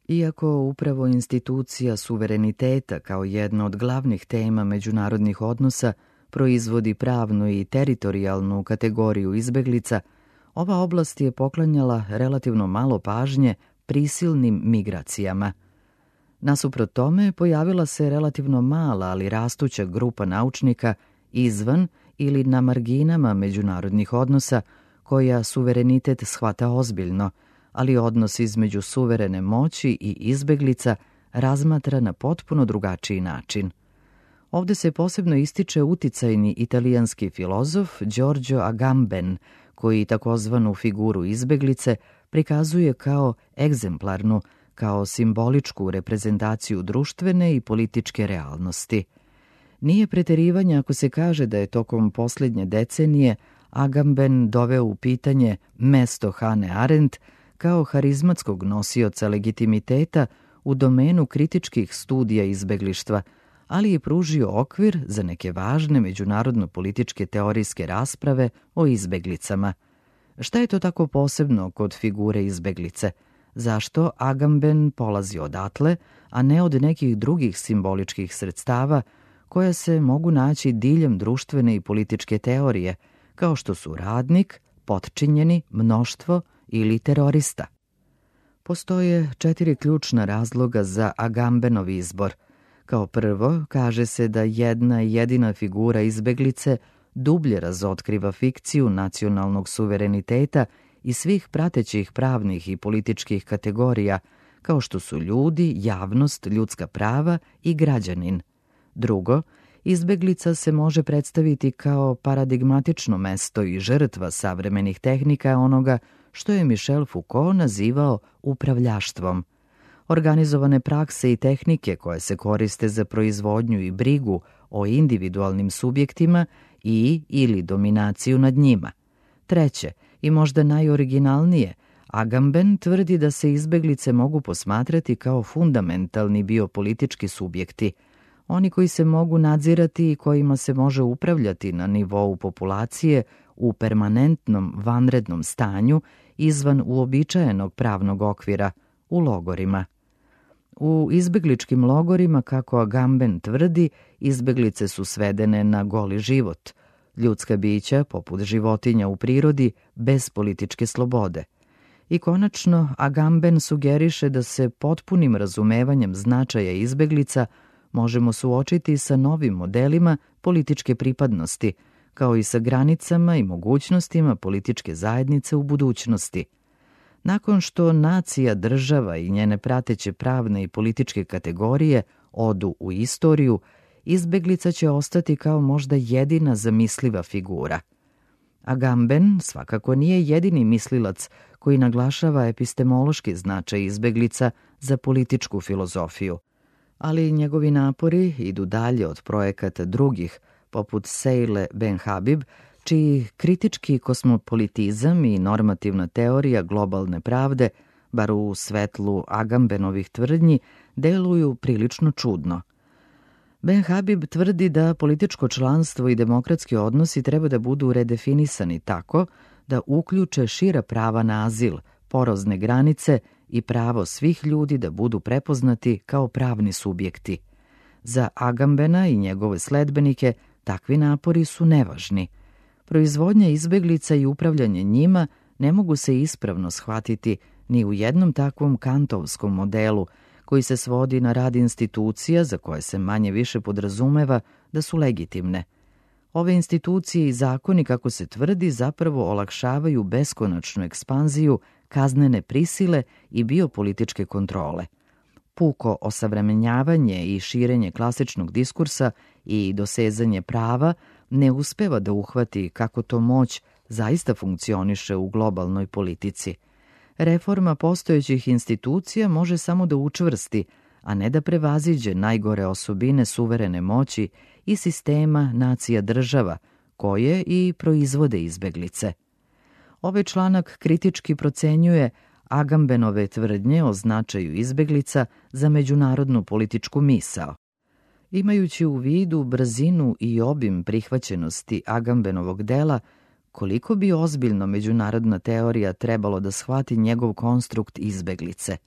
Iako upravo institucija suvereniteta kao jedna od glavnih tema međunarodnih odnosa proizvodi pravnu i teritorijalnu kategoriju izbeglica, ova oblast je poklanjala relativno malo pažnje prisilnim migracijama. Nasuprot tome, pojavila se relativno mala, ali rastuća grupa naučnika izvan ili na marginama međunarodnih odnosa koja suverenitet shvata ozbiljno, ali odnos između suverene moći i izbeglica razmatra na potpuno drugačiji način. Ovde se posebno ističe uticajni italijanski filozof Giorgio Agamben, koji takozvanu figuru izbeglice prikazuje kao egzemplarnu, kao simboličku reprezentaciju društvene i političke realnosti. Nije preterivanje ako se kaže da je tokom posljednje decenije Agamben doveo u pitanje mesto Hane Arendt kao harizmatskog nosioca legitimiteta u domenu kritičkih studija izbeglištva, ali je pružio okvir za neke važne međunarodno-političke teorijske rasprave o izbeglicama. Šta je to tako posebno kod figure izbeglice? Zašto Agamben polazi odatle, a ne od nekih drugih simboličkih sredstava koja se mogu naći diljem društvene i političke teorije, kao što su radnik, potčinjeni, mnoštvo ili terorista? Postoje 4 ključna razloga za Agambenov izbor. Kao prvo, kaže se da jedna jedina figura izbeglice dublje razotkriva fikciju nacionalnog suvereniteta i svih pratećih pravnih i političkih kategorija, kao što su ljudi, javnost, ljudska prava i građanin. Drugo, izbeglica se može predstaviti kao paradigmatično mesto i žrtva savremenih tehnika onoga što je Michel Foucault nazivao upravljaštvom. Organizovane prakse i tehnike koje se koriste za proizvodnju i brigu o individualnim subjektima i ili dominaciju nad njima. Treće, i možda najoriginalnije, Agamben tvrdi da se izbeglice mogu posmatrati kao fundamentalni biopolitički subjekti, oni koji se mogu nadzirati i kojima se može upravljati na nivou populacije u permanentnom vanrednom stanju izvan uobičajenog pravnog okvira, u logorima. U izbegličkim logorima, kako Agamben tvrdi, izbeglice su svedene na goli život, ljudska bića, poput životinja u prirodi, bez političke slobode. I konačno, Agamben sugeriše da se potpunim razumevanjem značaja izbeglica možemo suočiti sa novim modelima političke pripadnosti, kao i sa granicama i mogućnostima političke zajednice u budućnosti. Nakon što nacija, država i njene prateće pravne i političke kategorije odu u istoriju, izbeglica će ostati kao možda jedina zamisliva figura. Agamben svakako nije jedini mislilac koji naglašava epistemološki značaj izbeglica za političku filozofiju, ali njegovi napori idu dalje od projekata drugih, poput Seile Ben-Habib, čiji kritički kosmopolitizam i normativna teorija globalne pravde, bar u svetlu Agambenovih tvrdnji, deluju prilično čudno. Ben-Habib tvrdi da političko članstvo i demokratski odnosi treba da budu redefinisani tako da uključe šira prava na azil, porozne granice i pravo svih ljudi da budu prepoznati kao pravni subjekti. Za Agambena i njegove sledbenike takvi napori su nevažni. Proizvodnja izbeglica i upravljanje njima ne mogu se ispravno shvatiti ni u jednom takvom kantovskom modelu koji se svodi na rad institucija za koje se manje više podrazumeva da su legitimne. Ove institucije i zakoni, kako se tvrdi, zapravo olakšavaju beskonačnu ekspanziju kaznene prisile i biopolitičke kontrole. Puko osavremenjavanje i širenje klasičnog diskursa i dosezanje prava ne uspeva da uhvati kako to moć zaista funkcioniše u globalnoj politici. Reforma postojećih institucija može samo da učvrsti, a ne da prevaziđe najgore osobine suverene moći i sistema nacija država, koje i proizvode izbeglice. Ovaj članak kritički procenjuje Agambenove tvrdnje o značaju izbeglica za međunarodnu političku misao. Imajući u vidu brzinu i obim prihvaćenosti Agambenovog dela, koliko bi ozbiljno međunarodna teorija trebalo da shvati njegov konstrukt izbeglice?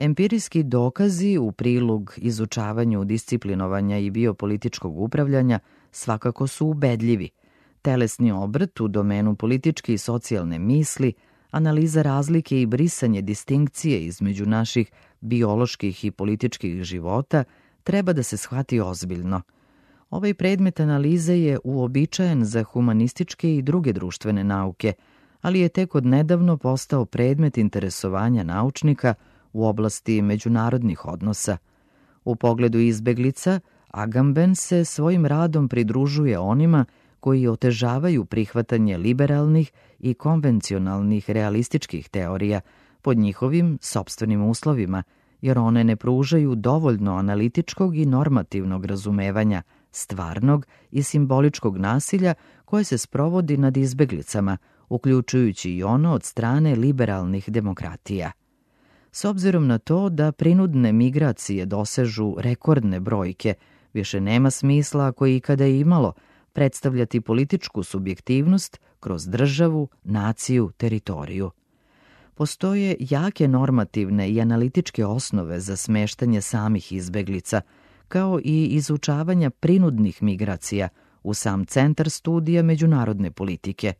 Empirijski dokazi u prilog izučavanju disciplinovanja i biopolitičkog upravljanja svakako su ubedljivi. Telesni obrt u domenu političke i socijalne misli, analiza razlike i brisanje distinkcije između naših bioloških i političkih života treba da se shvati ozbiljno. Ovaj predmet analize je uobičajen za humanističke i druge društvene nauke, ali je tek odnedavno postao predmet interesovanja naučnika u oblasti međunarodnih odnosa. U pogledu izbeglica, Agamben se svojim radom pridružuje onima koji otežavaju prihvatanje liberalnih i konvencionalnih realističkih teorija pod njihovim sopstvenim uslovima, jer one ne pružaju dovoljno analitičkog i normativnog razumevanja stvarnog i simboličkog nasilja koje se sprovodi nad izbeglicama, uključujući i ono od strane liberalnih demokratija. S obzirom na to da prinudne migracije dosežu rekordne brojke, više nema smisla, ako je ikada imalo, predstavljati političku subjektivnost kroz državu, naciju, teritoriju. Postoje jake normativne i analitičke osnove za smeštanje samih izbeglica, kao i izučavanja prinudnih migracija u sam centar studija međunarodne politike.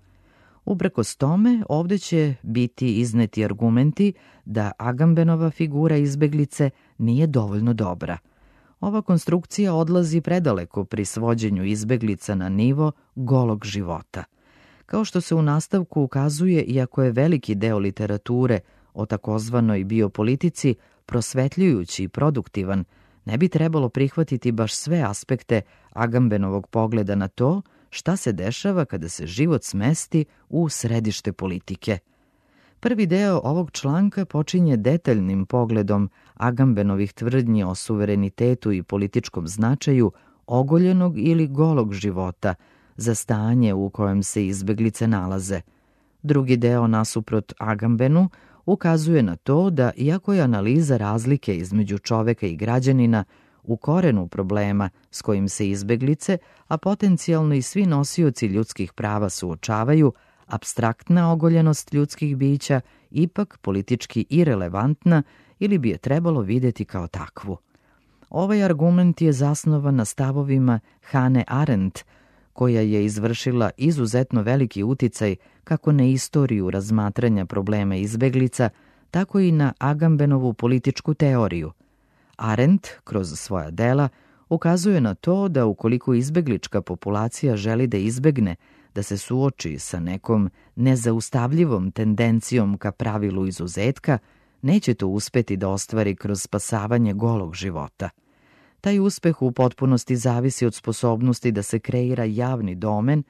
Uprkos tome, ovdje će biti izneti argumenti da Agambenova figura izbeglice nije dovoljno dobra. Ova konstrukcija odlazi predaleko pri svođenju izbeglica na nivo golog života. Kao što se u nastavku ukazuje, iako je veliki deo literature o takozvanoj biopolitici prosvetljujući i produktivan, ne bi trebalo prihvatiti baš sve aspekte Agambenovog pogleda na to šta se dešava kada se život smesti u središte politike. Prvi deo ovog članka počinje detaljnim pogledom Agambenovih tvrdnji o suverenitetu i političkom značaju ogoljenog ili golog života za stanje u kojem se izbeglice nalaze. Drugi deo, nasuprot Agambenu, ukazuje na to da, iako je analiza razlike između čoveka i građanina u korenu problema s kojim se izbeglice, a potencijalno i svi nosioci ljudskih prava suočavaju, apstraktna ogoljenost ljudskih bića ipak politički irelevantna ili bi je trebalo vidjeti kao takvu. Ovaj argument je zasnovan na stavovima Hannah Arendt, koja je izvršila izuzetno veliki uticaj kako na istoriju razmatranja problema izbeglica, tako i na Agambenovu političku teoriju. Arendt, kroz svoja dela, ukazuje na to da ukoliko izbeglička populacija želi da izbegne da se suoči sa nekom nezaustavljivom tendencijom ka pravilu izuzetka, neće to uspeti da ostvari kroz spasavanje golog života. Taj uspeh u potpunosti zavisi od sposobnosti da se kreira javni domen,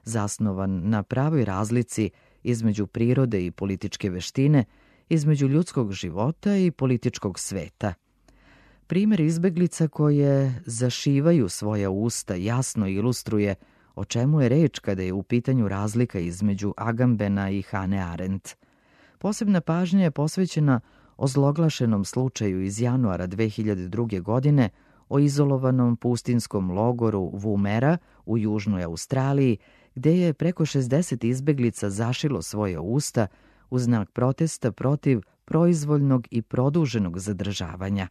zasnovan na pravoj razlici između prirode i političke veštine, između ljudskog života i političkog sveta. Primjer izbeglica koje zašivaju svoja usta jasno ilustruje o čemu je reč kada je u pitanju razlika između Agambena i Hannah Arendt. Posebna pažnja je posvećena ozloglašenom slučaju iz januara 2002. godine o izolovanom pustinskom logoru Woomera u južnoj Australiji, gde je preko 60 izbeglica zašilo svoje usta u znak protesta protiv proizvoljnog i produženog zadržavanja.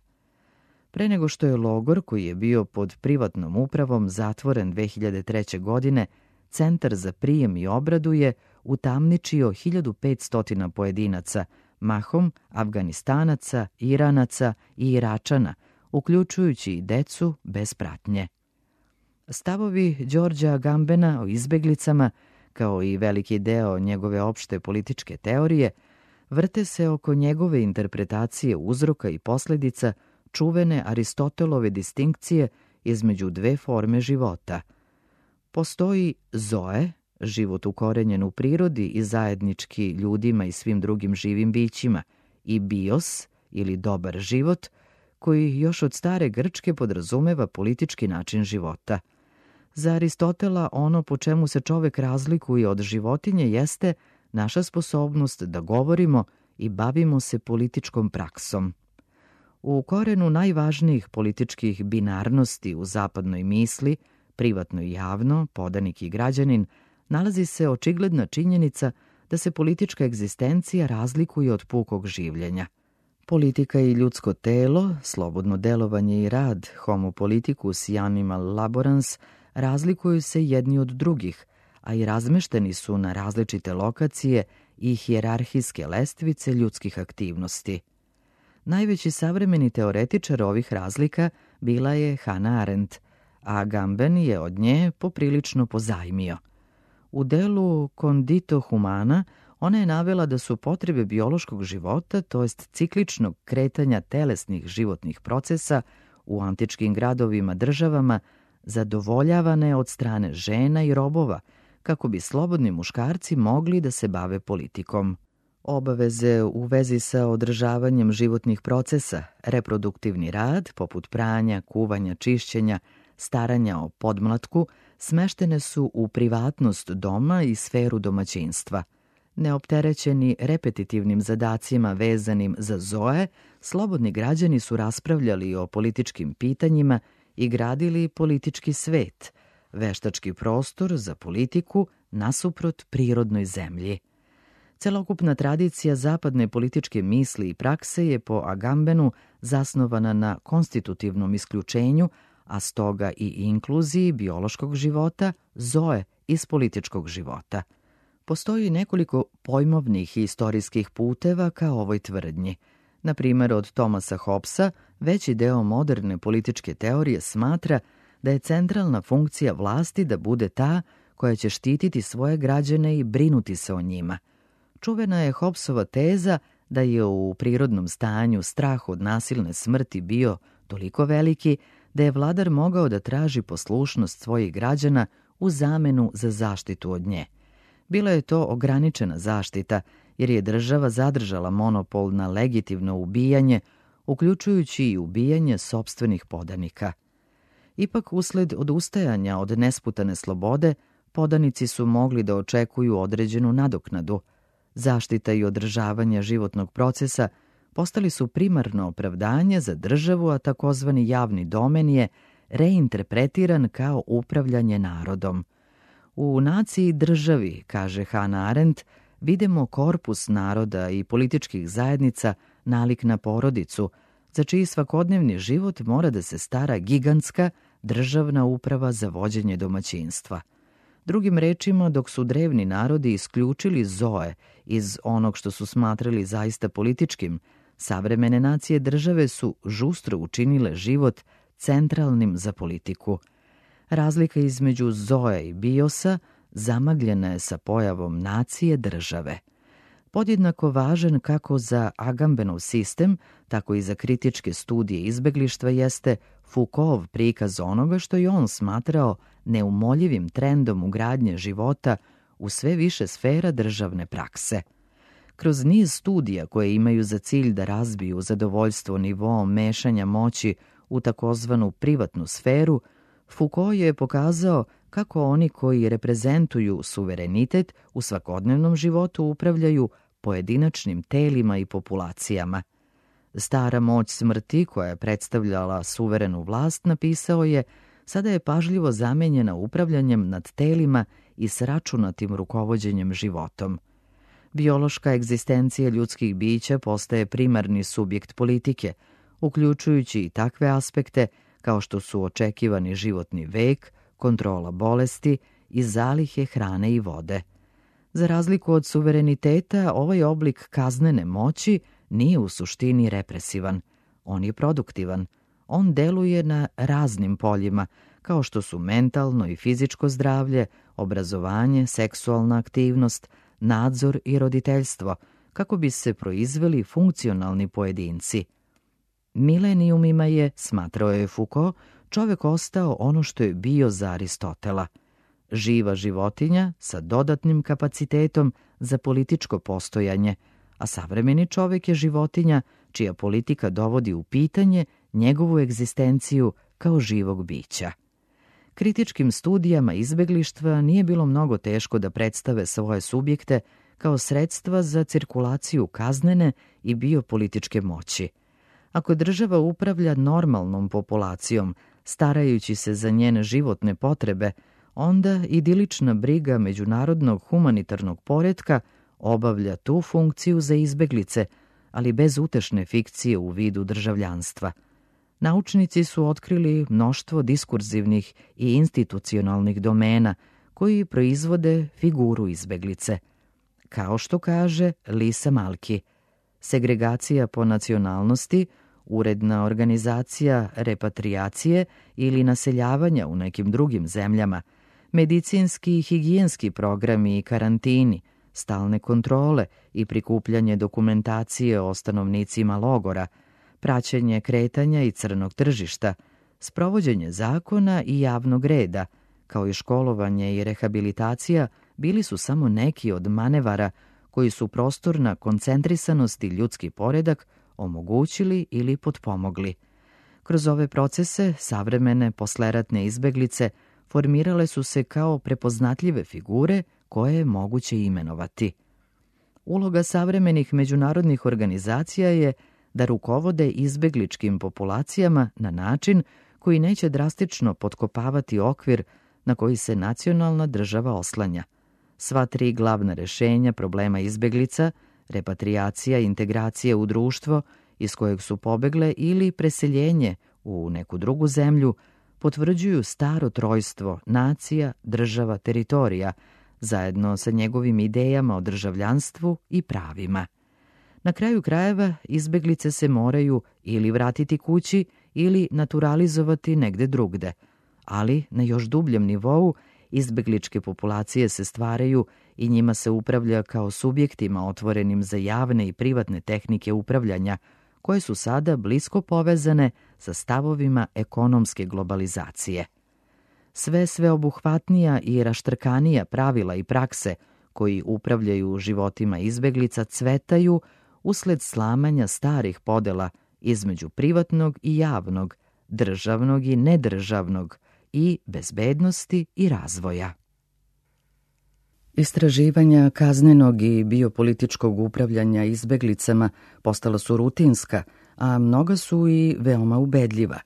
Pre nego što je logor, koji je bio pod privatnom upravom, zatvoren 2003. godine, Centar za prijem i obradu je utamničio 1500 pojedinaca, mahom Afganistanaca, Iranaca i Iračana, uključujući i decu bez pratnje. Stavovi Đorđa Agambena o izbeglicama, kao i veliki deo njegove opšte političke teorije, vrte se oko njegove interpretacije uzroka i posljedica čuvene Aristotelove distinkcije između dve forme života. Postoji zoe, život ukorenjen u prirodi i zajednički ljudima i svim drugim živim bićima, i bios, ili dobar život, koji još od stare Grčke podrazumeva politički način života. Za Aristotela ono po čemu se čovek razlikuje od životinje jeste naša sposobnost da govorimo i bavimo se političkom praksom. U korenu najvažnijih političkih binarnosti u zapadnoj misli, privatno i javno, podanik i građanin, nalazi se očigledna činjenica da se politička egzistencija razlikuje od pukog življenja. Politika i ljudsko telo, slobodno delovanje i rad, homo politicus i animal laborans, razlikuju se jedni od drugih, a i razmešteni su na različite lokacije i hijerarhijske lestvice ljudskih aktivnosti. Najveći savremeni teoretičar ovih razlika bila je Hannah Arendt, a Agamben je od nje poprilično pozajmio. U delu Condito Humana ona je navela da su potrebe biološkog života, to jest cikličnog kretanja telesnih životnih procesa u antičkim gradovima, državama, zadovoljavane od strane žena i robova, kako bi slobodni muškarci mogli da se bave politikom. Obaveze u vezi sa održavanjem životnih procesa, reproduktivni rad, poput pranja, kuvanja, čišćenja, staranja o podmlatku, smeštene su u privatnost doma i sferu domaćinstva. Neopterećeni repetitivnim zadacima vezanim za zoe, slobodni građani su raspravljali o političkim pitanjima i gradili politički svet, veštački prostor za politiku nasuprot prirodnoj zemlji. Celokupna tradicija zapadne političke misli i prakse je po Agambenu zasnovana na konstitutivnom isključenju, a stoga i inkluziji biološkog života, zoe, iz političkog života. Postoji nekoliko pojmovnih i istorijskih puteva ka ovoj tvrdnji. Na primjer, od Thomasa Hobbesa veći deo moderne političke teorije smatra da je centralna funkcija vlasti da bude ta koja će štititi svoje građane i brinuti se o njima. Čuvena je Hobbesova teza da je u prirodnom stanju strah od nasilne smrti bio toliko veliki da je vladar mogao da traži poslušnost svojih građana u zamenu za zaštitu od nje. Bila je to ograničena zaštita, jer je država zadržala monopol na legitimno ubijanje, uključujući i ubijanje sopstvenih podanika. Ipak, usled odustajanja od nesputane slobode, podanici su mogli da očekuju određenu nadoknadu. Zaštita i održavanje životnog procesa postali su primarno opravdanje za državu, a takozvani javni domen je reinterpretiran kao upravljanje narodom. U naciji državi, kaže Hannah Arendt, vidimo korpus naroda i političkih zajednica nalik na porodicu, za čiji svakodnevni život mora da se stara gigantska državna uprava za vođenje domaćinstva. Drugim rečima, dok su drevni narodi isključili zoe iz onog što su smatrali zaista političkim, savremene nacije države su žustro učinile život centralnim za politiku. Razlika između zoe i biosa zamagljena je sa pojavom nacije države. Podjednako važan kako za Agambenov sistem, tako i za kritičke studije izbeglištva jeste Foucaultov prikaz onoga što je on smatrao neumoljivim trendom ugradnje života u sve više sfera državne prakse. Kroz niz studija koje imaju za cilj da razbiju zadovoljstvo nivoom mešanja moći u takozvanu privatnu sferu, Foucault je pokazao kako oni koji reprezentuju suverenitet u svakodnevnom životu upravljaju pojedinačnim telima i populacijama. Stara moć smrti, koja je predstavljala suverenu vlast, napisao je, sada je pažljivo zamenjena upravljanjem nad telima i sračunatim rukovođenjem životom. Biološka egzistencija ljudskih bića postaje primarni subjekt politike, uključujući i takve aspekte kao što su očekivani životni vek, kontrola bolesti i zalihe hrane i vode. Za razliku od suvereniteta, ovaj oblik kaznene moći nije u suštini represivan. On je produktivan. On deluje na raznim poljima, kao što su mentalno i fizičko zdravlje, obrazovanje, seksualna aktivnost, nadzor i roditeljstvo, kako bi se proizveli funkcionalni pojedinci. Milenijumima je, smatrao je Foucault, čovek ostao ono što je bio za Aristotela. Živa životinja sa dodatnim kapacitetom za političko postojanje, a savremeni čovek je životinja čija politika dovodi u pitanje njegovu egzistenciju kao živog bića. Kritičkim studijama izbeglištva nije bilo mnogo teško da predstave svoje subjekte kao sredstva za cirkulaciju kaznene i biopolitičke moći. Ako država upravlja normalnom populacijom, starajući se za njene životne potrebe, onda idilična briga međunarodnog humanitarnog poretka obavlja tu funkciju za izbeglice, ali bez utešne fikcije u vidu državljanstva. Naučnici su otkrili mnoštvo diskurzivnih i institucionalnih domena koji proizvode figuru izbeglice. Kao što kaže Lisa Malki, segregacija po nacionalnosti, uredna organizacija repatriacije ili naseljavanja u nekim drugim zemljama, medicinski i higijenski programi i karantini, stalne kontrole i prikupljanje dokumentacije o stanovnicima logora, praćenje kretanja i crnog tržišta, sprovođenje zakona i javnog reda, kao i školovanje i rehabilitacija, bili su samo neki od manevara koji su prostor na koncentrisanost i ljudski poredak omogućili ili potpomogli. Kroz ove procese savremene posleratne izbeglice formirale su se kao prepoznatljive figure koje je moguće imenovati. Uloga savremenih međunarodnih organizacija je da rukovode izbegličkim populacijama na način koji neće drastično potkopavati okvir na koji se nacionalna država oslanja. Sva tri glavna rešenja problema izbeglica, repatriacija i integracija u društvo iz kojeg su pobegle ili preseljenje u neku drugu zemlju, potvrđuju staro trojstvo nacija, država, teritorija, zajedno sa njegovim idejama o državljanstvu i pravima. Na kraju krajeva, izbeglice se moraju ili vratiti kući ili naturalizovati negde drugde, ali na još dubljem nivou izbegličke populacije se stvaraju i njima se upravlja kao subjektima otvorenim za javne i privatne tehnike upravljanja, koje su sada blisko povezane sa stavovima ekonomske globalizacije. Sve sveobuhvatnija i raštrkanija pravila i prakse koji upravljaju životima izbeglica cvetaju usled slamanja starih podela između privatnog i javnog, državnog i nedržavnog i bezbednosti i razvoja. Istraživanja kaznenog i biopolitičkog upravljanja izbeglicama postala su rutinska, a mnoga su i veoma ubedljiva.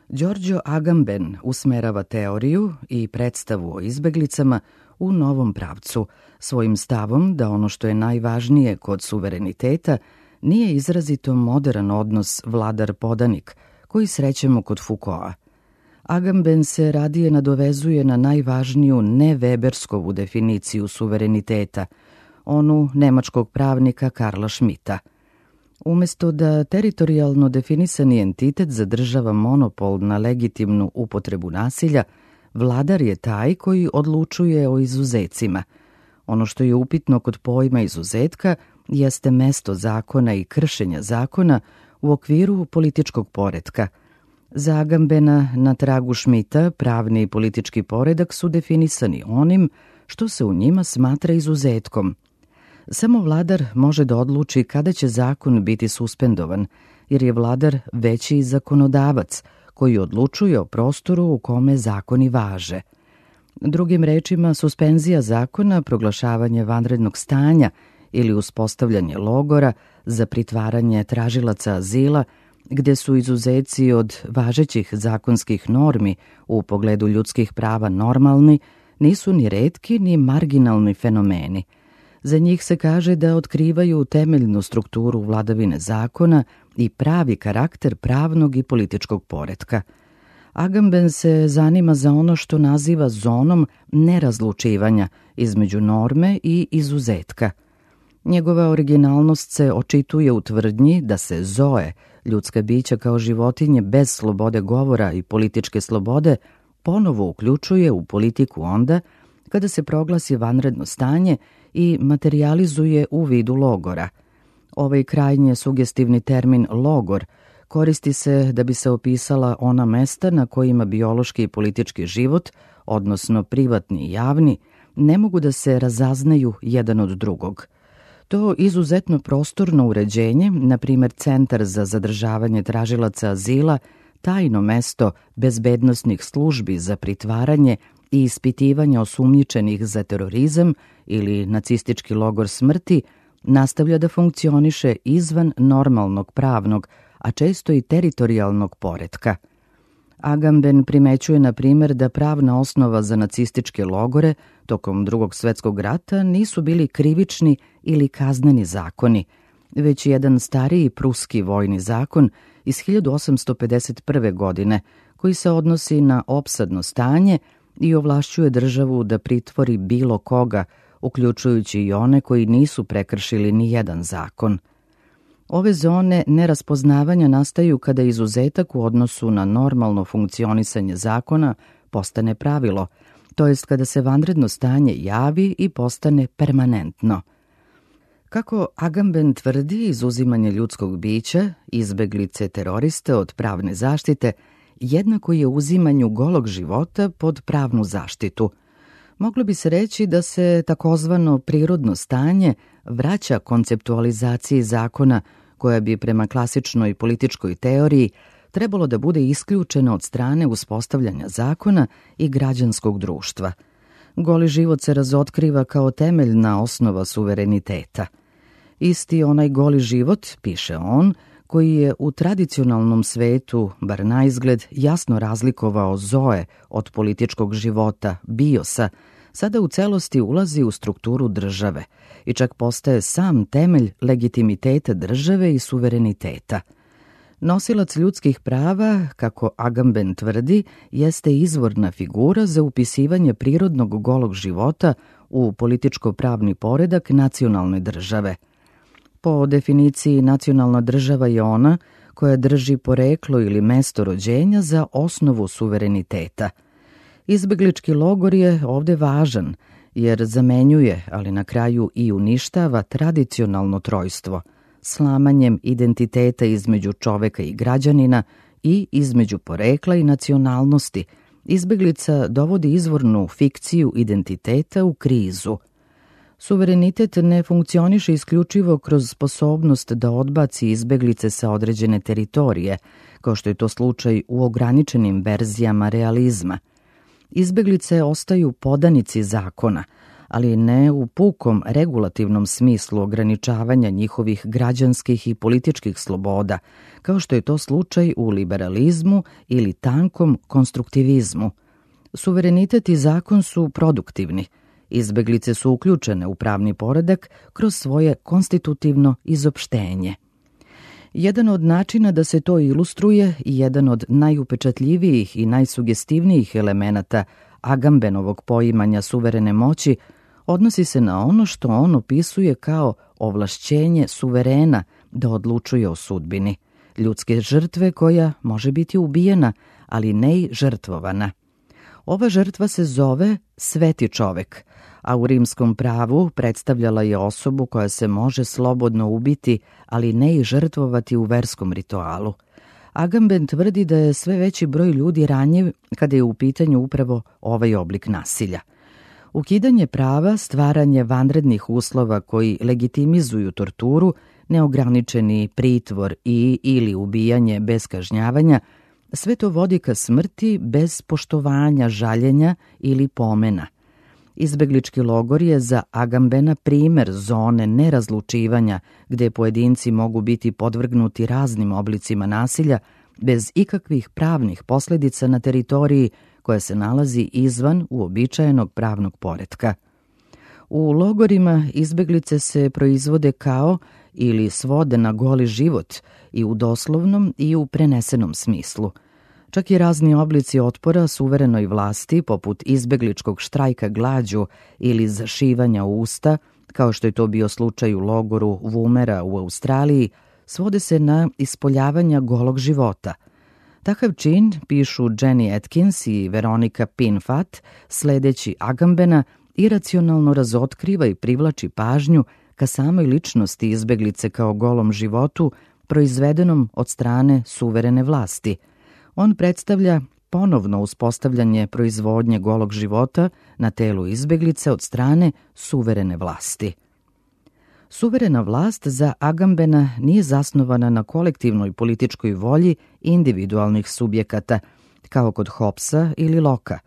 Giorgio Agamben usmerava teoriju i predstavu o izbeglicama u novom pravcu, svojim stavom da ono što je najvažnije kod suvereniteta nije izrazito modern odnos vladar-podanik koji srećemo kod Foucaulta. Agamben se radije nadovezuje na najvažniju neweberskovu definiciju suvereniteta, onu nemačkog pravnika Karla Schmitta. Umesto da teritorijalno definisani entitet zadržava monopol na legitimnu upotrebu nasilja, vladar je taj koji odlučuje o izuzecima. Ono što je upitno kod pojma izuzetka jeste mesto zakona i kršenja zakona u okviru političkog poretka. Za Agambena, na tragu Schmitta, pravni i politički poredak su definisani onim što se u njima smatra izuzetkom. Samo vladar može da odluči kada će zakon biti suspendovan, jer je vladar veći zakonodavac koji odlučuje o prostoru u kome zakoni važe. Drugim rečima, suspenzija zakona, proglašavanje vanrednog stanja ili uspostavljanje logora za pritvaranje tražilaca azila, gde su izuzeci od važećih zakonskih normi u pogledu ljudskih prava normalni, nisu ni retki ni marginalni fenomeni. Za njih se kaže da otkrivaju temeljnu strukturu vladavine zakona i pravi karakter pravnog i političkog poretka. Agamben se zanima za ono što naziva zonom nerazlučivanja između norme i izuzetka. Njegova originalnost se očituje u tvrdnji da se zoe, ljudska bića kao životinje bez slobode govora i političke slobode, ponovo uključuje u politiku onda kada se proglasi vanredno stanje i materijalizuje u vidu logora. Ovaj krajnje sugestivni termin logor koristi se da bi se opisala ona mesta na kojima biološki i politički život, odnosno privatni i javni, ne mogu da se razaznaju jedan od drugog. To izuzetno prostorno uređenje, na primjer Centar za zadržavanje tražilaca azila, tajno mesto bezbednosnih službi za pritvaranje i ispitivanje osumnjičenih za terorizam ili nacistički logor smrti, nastavlja da funkcioniše izvan normalnog pravnog, a često i teritorijalnog poretka. Agamben primećuje, na primjer, da pravna osnova za nacističke logore tokom Drugog svjetskog rata nisu bili krivični ili kazneni zakoni, već jedan stariji pruski vojni zakon iz 1851. godine, koji se odnosi na opsadno stanje i ovlašćuje državu da pritvori bilo koga, uključujući i one koji nisu prekršili ni jedan zakon. Ove zone neraspoznavanja nastaju kada izuzetak u odnosu na normalno funkcionisanje zakona postane pravilo, to jest kada se vanredno stanje javi i postane permanentno. Kako Agamben tvrdi, izuzimanje ljudskog bića, izbeglice teroriste od pravne zaštite, jednako je uzimanju golog života pod pravnu zaštitu. Moglo bi se reći da se takozvano prirodno stanje vraća konceptualizaciji zakona koja bi prema klasičnoj političkoj teoriji trebalo da bude isključena od strane uspostavljanja zakona i građanskog društva. Goli život se razotkriva kao temeljna osnova suvereniteta. Isti onaj goli život, piše on, koji je u tradicionalnom svetu, bar naizgled, jasno razlikovao zoe od političkog života, biosa, sada u celosti ulazi u strukturu države i čak postaje sam temelj legitimiteta države i suvereniteta. Nosilac ljudskih prava, kako Agamben tvrdi, jeste izvorna figura za upisivanje prirodnog golog života u političko-pravni poredak nacionalne države. Po definiciji, nacionalna država je ona koja drži poreklo ili mesto rođenja za osnovu suvereniteta. Izbeglički logor je ovde važan, jer zamenjuje, ali na kraju i uništava tradicionalno trojstvo, slamanjem identiteta između čoveka i građanina i između porekla i nacionalnosti. Izbeglica dovodi izvornu fikciju identiteta u krizu. Suverenitet ne funkcioniše isključivo kroz sposobnost da odbaci izbeglice sa određene teritorije, kao što je to slučaj u ograničenim verzijama realizma. Izbeglice ostaju podanici zakona, ali ne u pukom regulativnom smislu ograničavanja njihovih građanskih i političkih sloboda, kao što je to slučaj u liberalizmu ili tankom konstruktivizmu. Suverenitet i zakon su produktivni. Izbeglice su uključene u pravni poredak kroz svoje konstitutivno izopštenje. Jedan od načina da se to ilustruje i jedan od najupečatljivijih i najsugestivnijih elemenata Agambenovog poimanja suverene moći odnosi se na ono što on opisuje kao ovlašćenje suverena da odlučuje o sudbini, ljudske žrtve koja može biti ubijena, ali ne i žrtvovana. Ova žrtva se zove sveti čovek, a u rimskom pravu predstavljala je osobu koja se može slobodno ubiti, ali ne i žrtvovati u verskom ritualu. Agamben tvrdi da je sve veći broj ljudi ranjiv kada je u pitanju upravo ovaj oblik nasilja. Ukidanje prava, stvaranje vanrednih uslova koji legitimizuju torturu, neograničeni pritvor ili ubijanje bez kažnjavanja, sve to vodi ka smrti bez poštovanja, žaljenja ili pomena. Izbeglički logor je za Agambena primer zone nerazlučivanja gde pojedinci mogu biti podvrgnuti raznim oblicima nasilja bez ikakvih pravnih posledica na teritoriji koja se nalazi izvan uobičajenog pravnog poretka. U logorima izbeglice se proizvode kao ili svode na goli život i u doslovnom i u prenesenom smislu. Čak i razni oblici otpora suverenoj vlasti, poput izbegličkog štrajka glađu ili zašivanja usta, kao što je to bio slučaj u logoru Woomera u Australiji, svode se na ispoljavanja golog života. Takav čin, pišu Jenny Atkins i Veronika Pinfat, sledeći Agambena, iracionalno razotkriva i privlači pažnju ka samoj ličnosti izbeglice kao golom životu, proizvedenom od strane suverene vlasti. On predstavlja ponovno uspostavljanje proizvodnje golog života na telu izbeglice od strane suverene vlasti. Suverena vlast za Agambena nije zasnovana na kolektivnoj političkoj volji individualnih subjekata, kao kod Hobbesa ili Locka.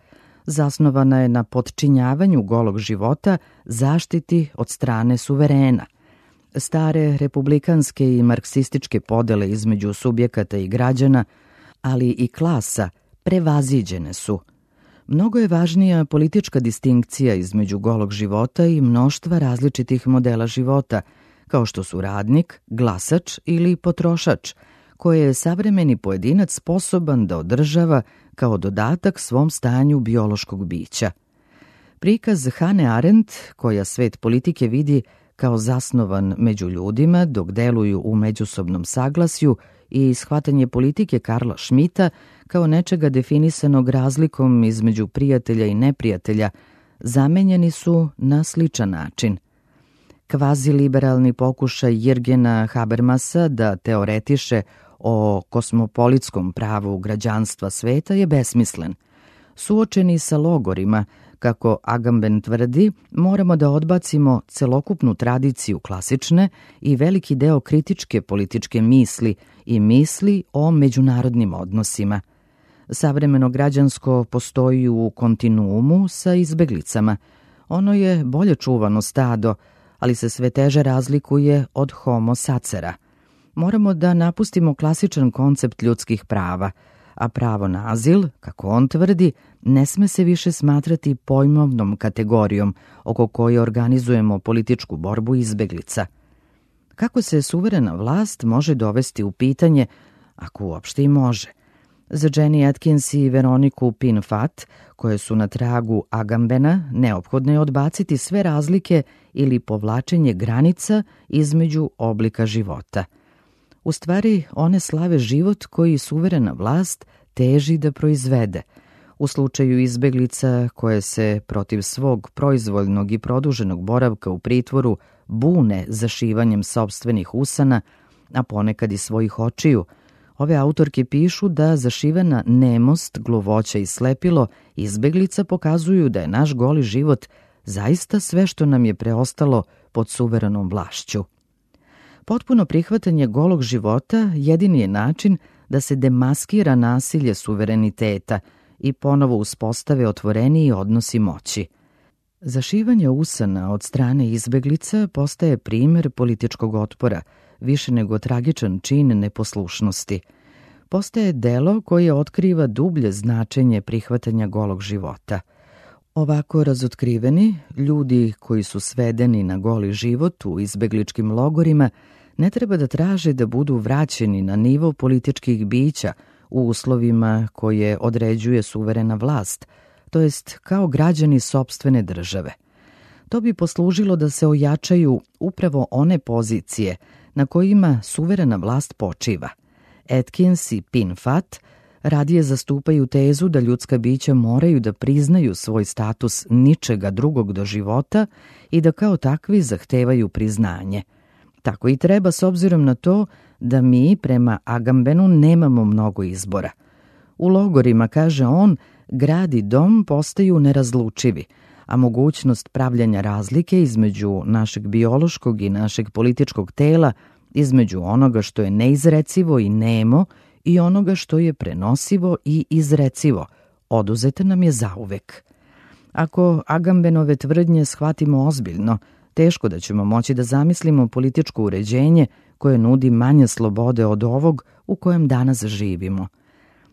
Zasnovana je na potčinjavanju golog života zaštiti od strane suverena. Stare republikanske i marksističke podele između subjekata i građana, ali i klasa, prevaziđene su. Mnogo je važnija politička distinkcija između golog života i mnoštva različitih modela života, kao što su radnik, glasač ili potrošač, koje je savremeni pojedinac sposoban da održava kao dodatak svom stanju biološkog bića. Prikaz Hane Arendt, koja svet politike vidi kao zasnovan među ljudima dok deluju u međusobnom saglasju, i shvatanje politike Karla Schmitta kao nečega definisanog razlikom između prijatelja i neprijatelja, zamenjeni su na sličan način. Kvaziliberalni pokušaj Jirgena Habermasa da teoretiše o kosmopolitskom pravu građanstva sveta je besmislen. Suočeni sa logorima, kako Agamben tvrdi, moramo da odbacimo celokupnu tradiciju klasične i veliki deo kritičke političke misli i misli o međunarodnim odnosima. Savremeno građansko postoji u kontinuumu sa izbeglicama. Ono je bolje čuvano stado, ali se sve teže razlikuje od homo sacera. Moramo da napustimo klasičan koncept ljudskih prava, a pravo na azil, kako on tvrdi, ne sme se više smatrati pojmovnom kategorijom oko koje organizujemo političku borbu izbeglica. Kako se suverena vlast može dovesti u pitanje, ako uopšte i može? Za Jenny Atkins i Veroniku Pin-Fat, koje su na tragu Agambena, neophodno je odbaciti sve razlike ili povlačenje granica između oblika života. U stvari, one slave život koji suverena vlast teži da proizvede. U slučaju izbeglica koje se protiv svog proizvoljnog i produženog boravka u pritvoru bune zašivanjem sopstvenih usana, a ponekad i svojih očiju, ove autorke pišu da zašivena nemost, gluvoća i slepilo izbeglica pokazuju da je naš goli život zaista sve što nam je preostalo pod suverenom vlašću. Potpuno prihvatanje golog života jedini je način da se demaskira nasilje suvereniteta i ponovo uspostave otvoreniji odnosi moći. Zašivanje usana od strane izbeglica postaje primer političkog otpora, više nego tragičan čin neposlušnosti. Postaje delo koje otkriva dublje značenje prihvatanja golog života. Ovako razotkriveni, ljudi koji su svedeni na goli život u izbegličkim logorima ne treba da traže da budu vraćeni na nivo političkih bića u uslovima koje određuje suverena vlast, to jest kao građani sopstvene države. To bi poslužilo da se ojačaju upravo one pozicije na kojima suverena vlast počiva. Atkins i Pin-Fat radije zastupaju tezu da ljudska bića moraju da priznaju svoj status ničega drugog do života i da kao takvi zahtevaju priznanje. Tako i treba s obzirom na to da mi prema Agambenu nemamo mnogo izbora. U logorima, kaže on, grad i dom postaju nerazlučivi, a mogućnost pravljanja razlike između našeg biološkog i našeg političkog tela, između onoga što je neizrecivo i nemo i onoga što je prenosivo i izrecivo, oduzeta nam je zauvek. Ako Agambenove tvrdnje shvatimo ozbiljno, teško da ćemo moći da zamislimo političko uređenje koje nudi manje slobode od ovog u kojem danas živimo.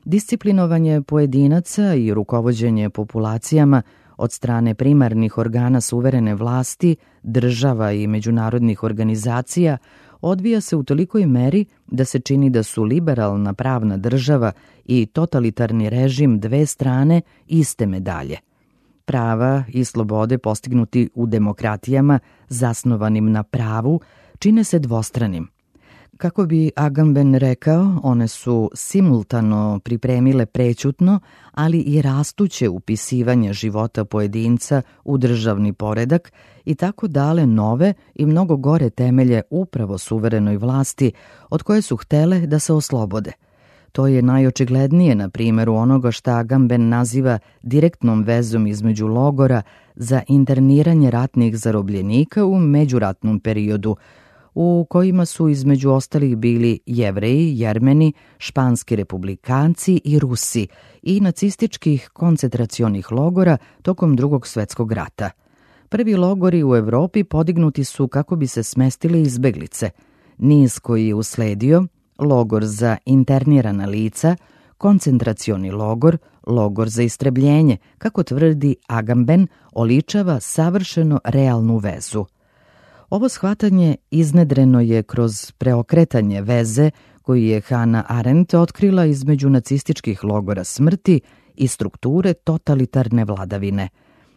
Disciplinovanje pojedinaca i rukovođenje populacijama od strane primarnih organa suverene vlasti, država i međunarodnih organizacija odvija se u tolikoj meri da se čini da su liberalna pravna država i totalitarni režim dve strane iste medalje. Prava i slobode postignuti u demokratijama zasnovanim na pravu čine se dvostranim. Kako bi Agamben rekao, one su simultano pripremile prećutno, ali i rastuće upisivanje života pojedinca u državni poredak i tako dale nove i mnogo gore temelje upravo suverenoj vlasti od koje su htele da se oslobode. To je najočiglednije na primjeru onoga šta Agamben naziva direktnom vezom između logora za interniranje ratnih zarobljenika u međuratnom periodu, u kojima su između ostalih bili Jevreji, Jermeni, španski republikanci i Rusi i nacističkih koncentracionih logora tokom Drugog svjetskog rata. Prvi logori u Evropi podignuti su kako bi se smestile izbeglice. Niz koji je usledio, logor za internirana lica, koncentracioni logor, logor za istrebljenje, kako tvrdi Agamben, oličava savršeno realnu vezu. Ovo shvatanje iznedreno je kroz preokretanje veze koju je Hannah Arendt otkrila između nacističkih logora smrti i strukture totalitarne vladavine.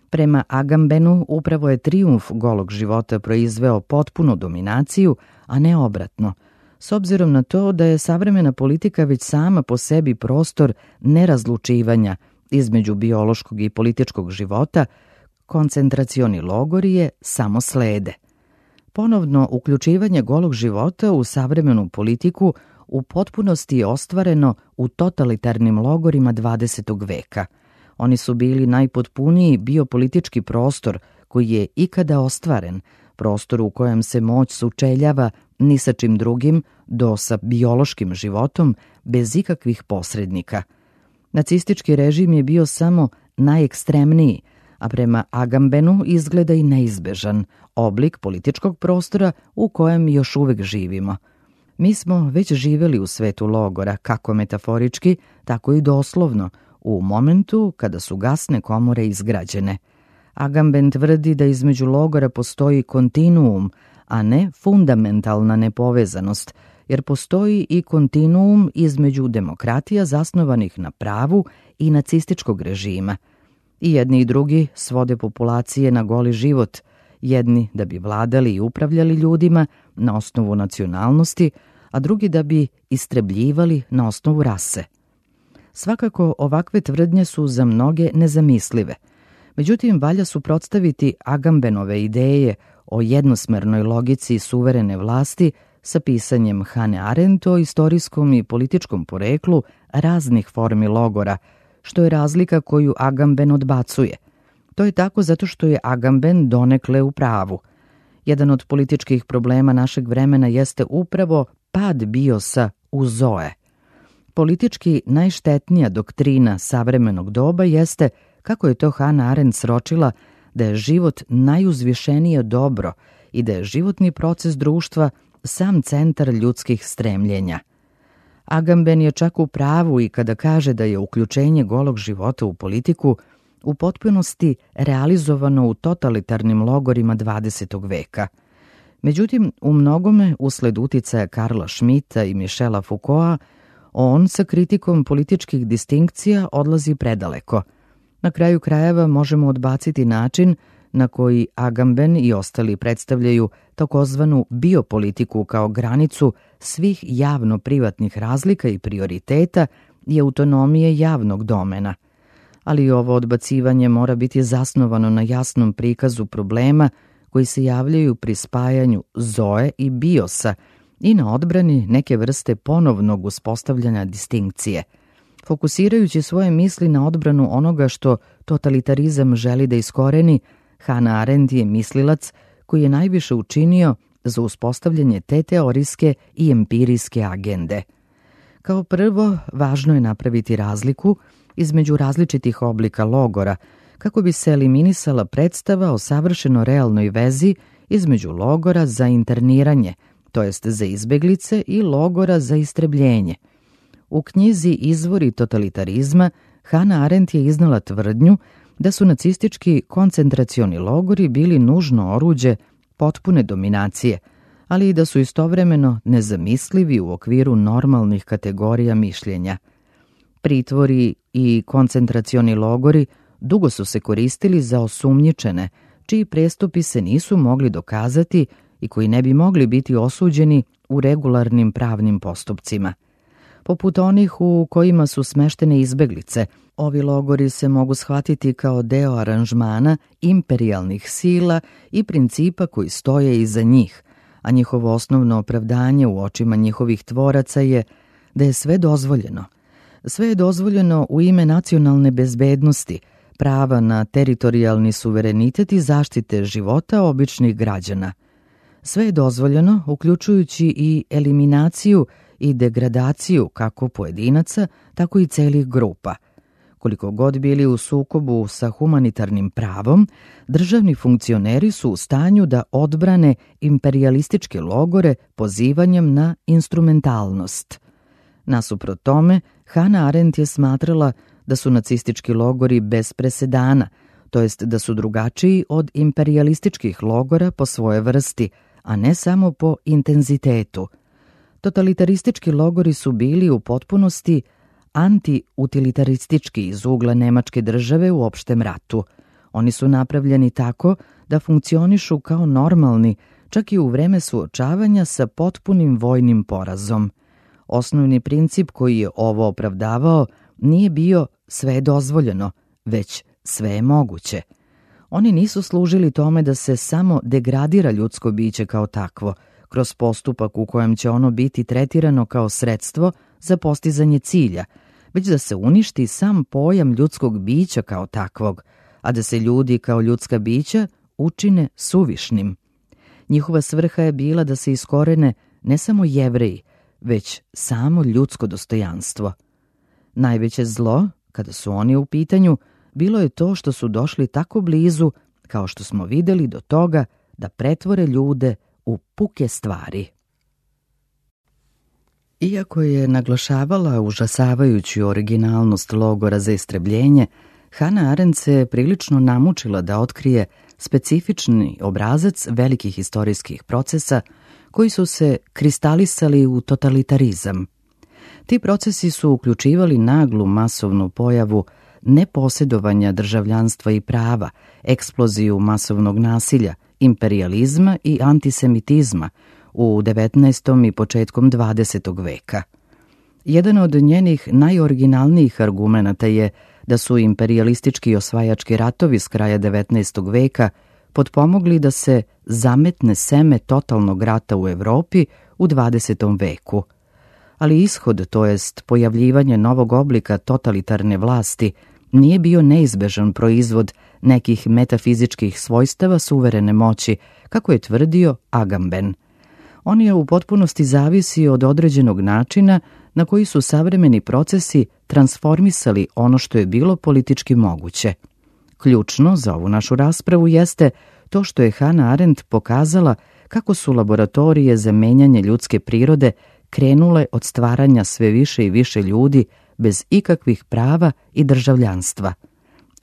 Prema Agambenu, upravo je trijumf golog života proizveo potpunu dominaciju, a ne obratno, s obzirom na to da je savremena politika već sama po sebi prostor nerazlučivanja između biološkog i političkog života, koncentracioni logori je samo slede. Ponovno uključivanje golog života u savremenu politiku u potpunosti je ostvareno u totalitarnim logorima 20. veka. Oni su bili najpotpuniji biopolitički prostor koji je ikada ostvaren, prostor u kojem se moć sučeljava ni sa čim drugim do sa biološkim životom bez ikakvih posrednika. Nacistički režim je bio samo najekstremniji, a prema Agambenu izgleda i neizbežan oblik političkog prostora u kojem još uvek živimo. Mi smo već živeli u svetu logora, kako metaforički, tako i doslovno, u momentu kada su gasne komore izgrađene. Agamben tvrdi da između logora postoji kontinuum, a ne fundamentalna nepovezanost, jer postoji i kontinuum između demokratija zasnovanih na pravu i nacističkog režima. I jedni i drugi svode populacije na goli život, jedni da bi vladali i upravljali ljudima na osnovu nacionalnosti, a drugi da bi istrebljivali na osnovu rase. Svakako, ovakve tvrdnje su za mnoge nezamislive. Međutim, valja suprotstaviti Agambenove ideje o jednosmernoj logici suverene vlasti sa pisanjem Hannah Arendt o istorijskom i političkom poreklu raznih formi logora, što je razlika koju Agamben odbacuje. To je tako zato što je Agamben donekle u pravu. Jedan od političkih problema našeg vremena jeste upravo pad biosa u zoe. Politički najštetnija doktrina savremenog doba jeste, kako je to Hannah Arendt sročila, da je život najuzvišenije dobro i da je životni proces društva sam centar ljudskih stremljenja. Agamben je čak u pravu i kada kaže da je uključenje golog života u politiku u potpunosti realizovano u totalitarnim logorima 20. veka. Međutim, u mnogome, usled uticaja Karla Schmitta i Michela Foucaulta, on sa kritikom političkih distinkcija odlazi predaleko. Na kraju krajeva možemo odbaciti način na koji Agamben i ostali predstavljaju takozvanu biopolitiku kao granicu svih javno-privatnih razlika i prioriteta i autonomije javnog domena. Ali ovo odbacivanje mora biti zasnovano na jasnom prikazu problema koji se javljaju pri spajanju zoe i biosa i na odbrani neke vrste ponovnog uspostavljanja distinkcije. Fokusirajući svoje misli na odbranu onoga što totalitarizam želi da iskoreni, Hannah Arendt je mislilac koji je najviše učinio za uspostavljanje te teorijske i empirijske agende. Kao prvo, važno je napraviti razliku između različitih oblika logora, kako bi se eliminisala predstava o savršeno realnoj vezi između logora za interniranje, to jest za izbeglice, i logora za istrebljenje. U knjizi Izvori totalitarizma Hannah Arendt je iznala tvrdnju da su nacistički koncentracioni logori bili nužno oruđe potpune dominacije, ali i da su istovremeno nezamislivi u okviru normalnih kategorija mišljenja. Pritvori i koncentracioni logori dugo su se koristili za osumnjičene, čiji prestupi se nisu mogli dokazati i koji ne bi mogli biti osuđeni u regularnim pravnim postupcima. Poput onih u kojima su smeštene izbeglice, ovi logori se mogu shvatiti kao deo aranžmana imperijalnih sila i principa koji stoje iza njih, a njihovo osnovno opravdanje u očima njihovih tvoraca je da je sve dozvoljeno. Sve je dozvoljeno u ime nacionalne bezbednosti, prava na teritorijalni suverenitet i zaštite života običnih građana. Sve je dozvoljeno, uključujući i eliminaciju i degradaciju kako pojedinaca, tako i celih grupa. Koliko god bili u sukobu sa humanitarnim pravom, državni funkcioneri su u stanju da odbrane imperijalističke logore pozivanjem na instrumentalnost. Nasuprot tome, Hannah Arendt je smatrala da su nacistički logori bez presedana, to jest da su drugačiji od imperijalističkih logora po svoje vrsti, a ne samo po intenzitetu. Totalitaristički logori su bili u potpunosti anti-utilitaristički iz ugla Nemačke države u opštem ratu. Oni su napravljeni tako da funkcionišu kao normalni, čak i u vreme suočavanja sa potpunim vojnim porazom. Osnovni princip koji je ovo opravdavao nije bio sve je dozvoljeno, već sve je moguće. Oni nisu služili tome da se samo degradira ljudsko biće kao takvo, kroz postupak u kojem će ono biti tretirano kao sredstvo za postizanje cilja, već da se uništi sam pojam ljudskog bića kao takvog, a da se ljudi kao ljudska bića učine suvišnim. Njihova svrha je bila da se iskorene ne samo Jevreji, već samo ljudsko dostojanstvo. Najveće zlo, kada su oni u pitanju, bilo je to što su došli tako blizu, kao što smo videli, do toga da pretvore ljude u puke stvari. Iako je naglašavala užasavajuću originalnost logora za istrebljenje, Hannah Arendt se prilično namučila da otkrije specifični obrazac velikih istorijskih procesa koji su se kristalisali u totalitarizam. Ti procesi su uključivali naglu masovnu pojavu neposjedovanja državljanstva i prava, eksploziju masovnog nasilja, imperijalizma i antisemitizma u 19. i početkom 20. veka. Jedan od njenih najoriginalnijih argumenata je da su imperijalistički i osvajački ratovi s kraja 19. veka potpomogli da se zametne seme totalnog rata u Evropi u 20. veku. Ali ishod, to jest pojavljivanje novog oblika totalitarne vlasti, nije bio neizbežan proizvod nekih metafizičkih svojstava suverene moći, kako je tvrdio Agamben. On je u potpunosti zavisi od određenog načina na koji su savremeni procesi transformisali ono što je bilo politički moguće. Ključno za ovu našu raspravu jeste to što je Hannah Arendt pokazala kako su laboratorije za menjanje ljudske prirode krenule od stvaranja sve više i više ljudi bez ikakvih prava i državljanstva.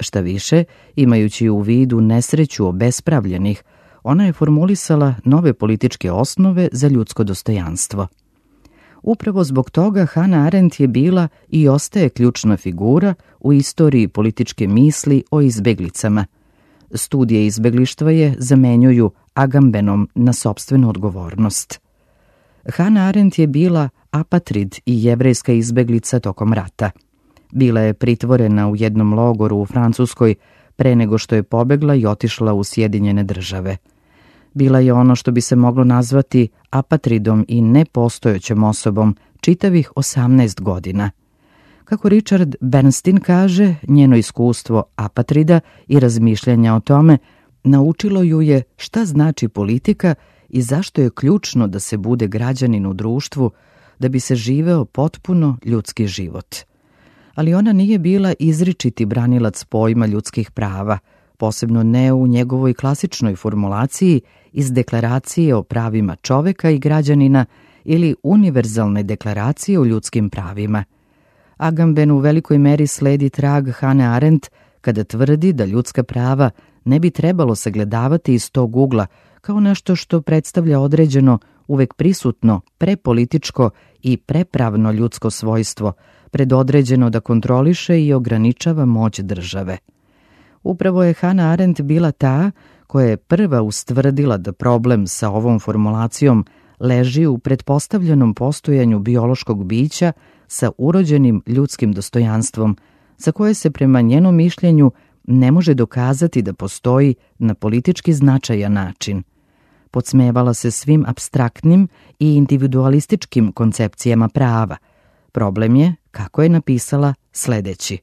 Šta više, imajući u vidu nesreću obespravljenih, ona je formulisala nove političke osnove za ljudsko dostojanstvo. Upravo zbog toga Hannah Arendt je bila i ostaje ključna figura u istoriji političke misli o izbeglicama. Studije izbeglištva je zamenjuju Agambenom na sopstvenu odgovornost. Hannah Arendt je bila apatrid i jevrejska izbeglica tokom rata. Bila je pritvorena u jednom logoru u Francuskoj pre nego što je pobegla i otišla u Sjedinjene Države. Bila je ono što bi se moglo nazvati apatridom i nepostojećom osobom čitavih 18 godina. Kako Richard Bernstein kaže, njeno iskustvo apatrida i razmišljanja o tome naučilo ju je šta znači politika i zašto je ključno da se bude građanin u društvu da bi se živeo potpuno ljudski život. Ali ona nije bila izričiti branilac pojma ljudskih prava, posebno ne u njegovoj klasičnoj formulaciji iz Deklaracije o pravima čoveka i građanina ili Univerzalne deklaracije o ljudskim pravima. Agamben u velikoj meri sledi trag Hannah Arendt kada tvrdi da ljudska prava ne bi trebalo sagledavati iz tog ugla kao nešto što predstavlja određeno, uvek prisutno, prepolitičko i prepravno ljudsko svojstvo, predodređeno da kontroliše i ograničava moć države. Upravo je Hannah Arendt bila ta koja je prva ustvrdila da problem sa ovom formulacijom leži u pretpostavljenom postojanju biološkog bića sa urođenim ljudskim dostojanstvom, za koje se prema njenom mišljenju ne može dokazati da postoji na politički značajan način. Podsmevala se svim apstraktnim i individualističkim koncepcijama prava. Problem je, kako je napisala, sledeći.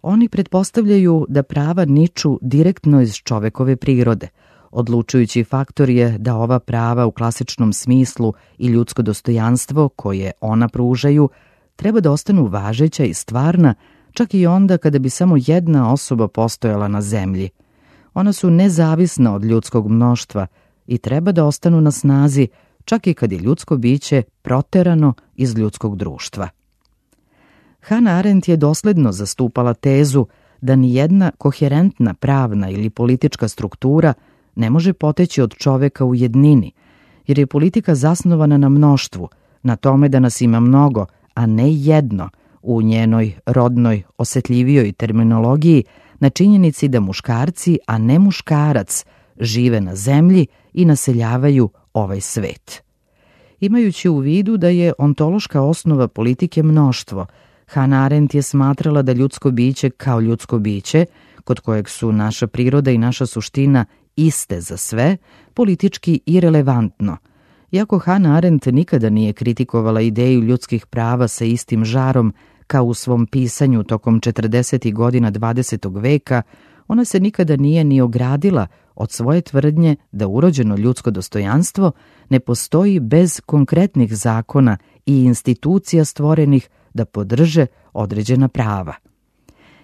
Oni pretpostavljaju da prava niču direktno iz čovekove prirode. Odlučujući faktor je da ova prava u klasičnom smislu i ljudsko dostojanstvo koje ona pružaju treba da ostanu važeća i stvarna, čak i onda kada bi samo jedna osoba postojala na zemlji. Ona su nezavisna od ljudskog mnoštva i treba da ostanu na snazi čak i kad je ljudsko biće proterano iz ljudskog društva. Hannah Arendt je dosledno zastupala tezu da ni jedna koherentna pravna ili politička struktura ne može poteći od čoveka u jednini, jer je politika zasnovana na mnoštvu, na tome da nas ima mnogo, a ne jedno, u njenoj rodnoj, osetljivijoj terminologiji, na činjenici da muškarci, a ne muškarac, žive na zemlji i naseljavaju ovaj svet. Imajući u vidu da je ontološka osnova politike mnoštvo, Hannah Arendt je smatrala da ljudsko biće kao ljudsko biće, kod kojeg su naša priroda i naša suština iste za sve, politički irelevantno. Iako Hannah Arendt nikada nije kritikovala ideju ljudskih prava sa istim žarom kao u svom pisanju tokom 40. godina 20. veka, ona se nikada nije ni ogradila od svoje tvrdnje da urođeno ljudsko dostojanstvo ne postoji bez konkretnih zakona i institucija stvorenih da podrže određena prava.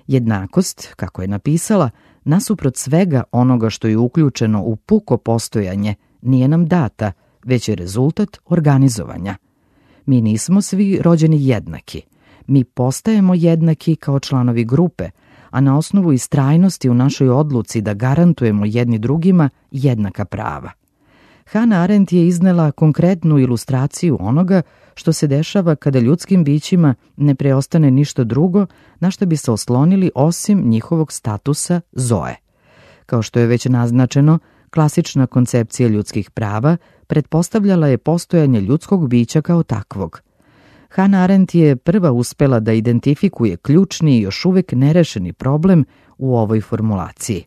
Jednakost, kako je napisala, nasuprot svega onoga što je uključeno u puko postojanje, nije nam data, već je rezultat organizovanja. Mi nismo svi rođeni jednaki. Mi postajemo jednaki kao članovi grupe, a na osnovu istrajnosti u našoj odluci da garantujemo jedni drugima jednaka prava. Hannah Arendt je iznela konkretnu ilustraciju onoga što se dešava kada ljudskim bićima ne preostane ništa drugo na što bi se oslonili osim njihovog statusa zoe. Kao što je već naznačeno, klasična koncepcija ljudskih prava pretpostavljala je postojanje ljudskog bića kao takvog. Hannah Arendt je prva uspela da identifikuje ključni i još uvek nerešeni problem u ovoj formulaciji.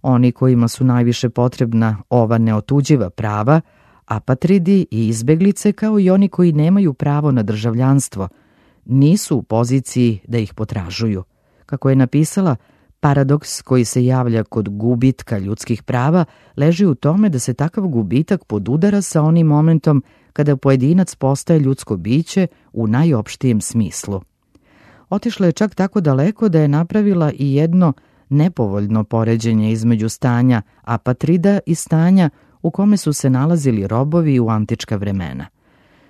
Oni kojima su najviše potrebna ova neotuđiva prava, apatridi i izbeglice, kao i oni koji nemaju pravo na državljanstvo, nisu u poziciji da ih potražuju. Kako je napisala, paradoks koji se javlja kod gubitka ljudskih prava leži u tome da se takav gubitak podudara sa onim momentom kada pojedinac postaje ljudsko biće u najopštijem smislu. Otišla je čak tako daleko da je napravila i jedno nepovoljno poređenje između stanja apatrida i stanja u kome su se nalazili robovi u antička vremena.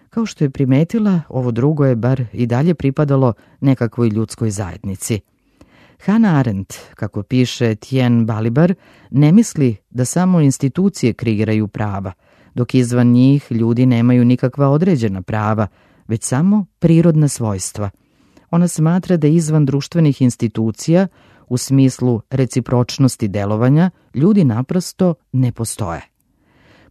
Kao što je primetila, ovo drugo je bar i dalje pripadalo nekakvoj ljudskoj zajednici. Hannah Arendt, kako piše Tien Balibar, ne misli da samo institucije kreiraju prava, dok izvan njih ljudi nemaju nikakva određena prava, već samo prirodna svojstva. Ona smatra da izvan društvenih institucija, u smislu recipročnosti delovanja, ljudi naprosto ne postoje.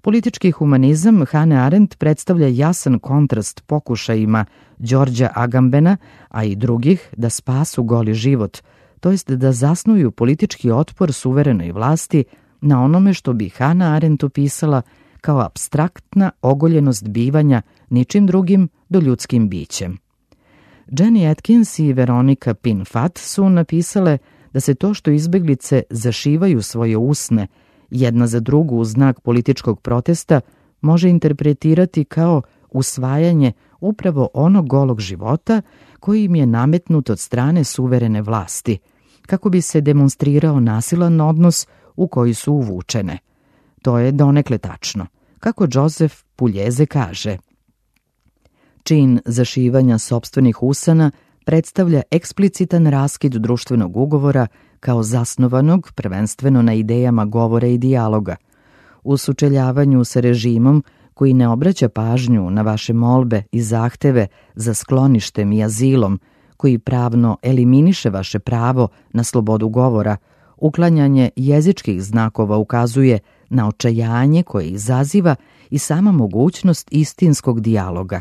Politički humanizam Hannah Arendt predstavlja jasan kontrast pokušajima Đorđa Agambena, a i drugih, da spasu goli život, to jest da zasnuju politički otpor suverenoj vlasti na onome što bi Hannah Arendt opisala kao apstraktna ogoljenost bivanja ničim drugim do ljudskim bićem. Jenny Atkins i Veronika Pinfat su napisale da se to što izbeglice zašivaju svoje usne jedna za drugu u znak političkog protesta može interpretirati kao usvajanje upravo onog golog života koji im je nametnut od strane suverene vlasti, kako bi se demonstrirao nasilan odnos u koji su uvučene. To je donekle tačno. Kako Joseph Puljeze kaže, čin zašivanja sopstvenih usana predstavlja eksplicitan raskid društvenog ugovora kao zasnovanog prvenstveno na idejama govora i dijaloga. U sučeljavanju sa režimom koji ne obraća pažnju na vaše molbe i zahteve za skloništem i azilom, koji pravno eliminiše vaše pravo na slobodu govora, uklanjanje jezičkih znakova ukazuje na očajanje koje izaziva i sama mogućnost istinskog dijaloga.